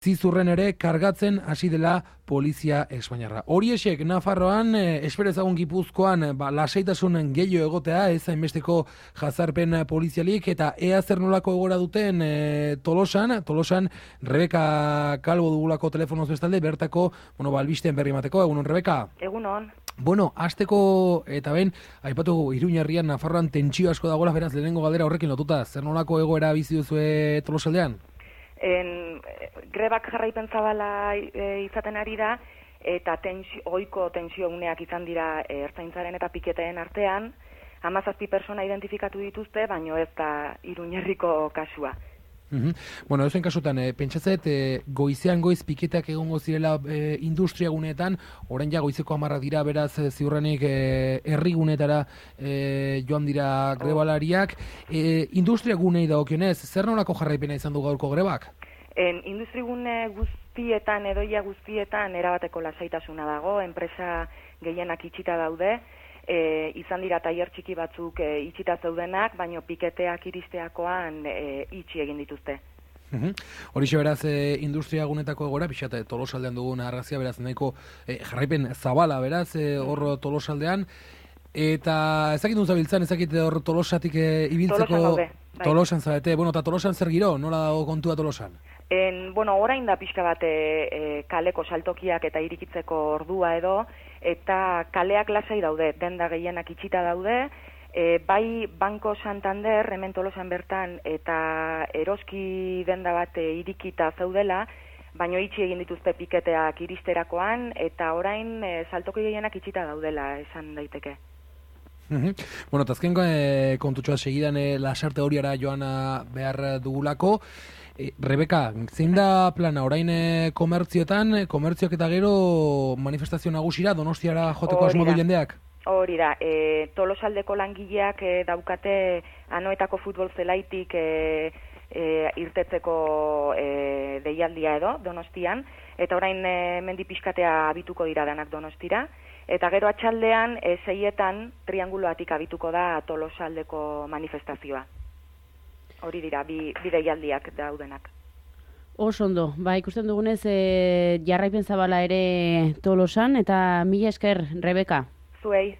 zizurren ere kargatzen hasi dela polizia espainiarra. Horiexek Nafarroan, esperezagun Gipuzkoan, lasaitasun gehiago egotea, ez hainbesteko jazarpen polizialik, eta ea zer nolako egora duten Tolosan, Rebeka Calvo dugulako telefonoz bestalde, bertako, albisten berri emateko. Egunon, Rebeka? Egunon. Azteko eta ben, aipatu Iruñerrian, Nafarroan tentsio asko dagoela, beraz, lehenengo galdera horrekin lotuta, zer nolako egoera bizi duzue Tolosaldean? Grebak jarraipen zabala izaten ari da, eta ohiko tensio uneak izan dira ertzaintzaren eta piketeen artean. 17 persona identifikatu dituzte, baino ez da Iruñerriko kasua. Ezen kasutan, pentsatzet, goizean goiz piketeak egongo zirela industriaguneetan, orain ja goizeko 10 dira, beraz ziurrenik herrigunetara joan dira grebalariak. Industriagunei dagokionez, zer nolako jarraipena izan du gaurko grebak? Industrigune guztietan, edoia guztietan, erabateko lasaitasuna dago, enpresa gehienak itxita daude, izan dira tailer txiki batzuk itxita zeudenak, baino piketeak iristeakoan itxi egin dituzte. Horixe beraz, industriagunetako egora, pixat Tolosaldean dugun argazia, beraz, nahiko jarraipen zabala, beraz, hor Tolosaldean, eta ezakit duen zabiltzan, ezakit hor Tolosatik ibiltzeko... Tolosan gaude. Tolosan zabete, eta Tolosan zer giro, nola dago kontua Tolosan? Orain da pixka bat kaleko saltokiak eta irikitzeko ordua edo, eta kaleak lasai daude, denda gehienak itxita daude, bai Banco Santander, hemen Tolosan bertan, eta eroski denda bat irikita zaudela, baino itxi egin dituzte piketeak iristerakoan, eta orain saltoki gehienak itxita daudela, esan daiteke. Eta azken kontutxoa segidan lasarte horiara joana behar dugulako. Rebeka, zein da plana, orain komertzioak eta gero manifestazio nagusira, Donostiara joteko asmo du jendeak? Hori da, Tolosaldeko langileak daukate Anoetako futbol zelaitik irtetzeko deialdia edo, Donostian, eta orain mendi pixkatea abituko dira danak Donostira, eta gero atxaldean 6etan trianguloatik abituko da Tolosaldeko manifestazioa. Hori dira, bi deialdiak daudenak. Oso ondo, ikusten dugunez jarraipen zabala ere Tolosan, eta mila esker, Rebeka. Zuei.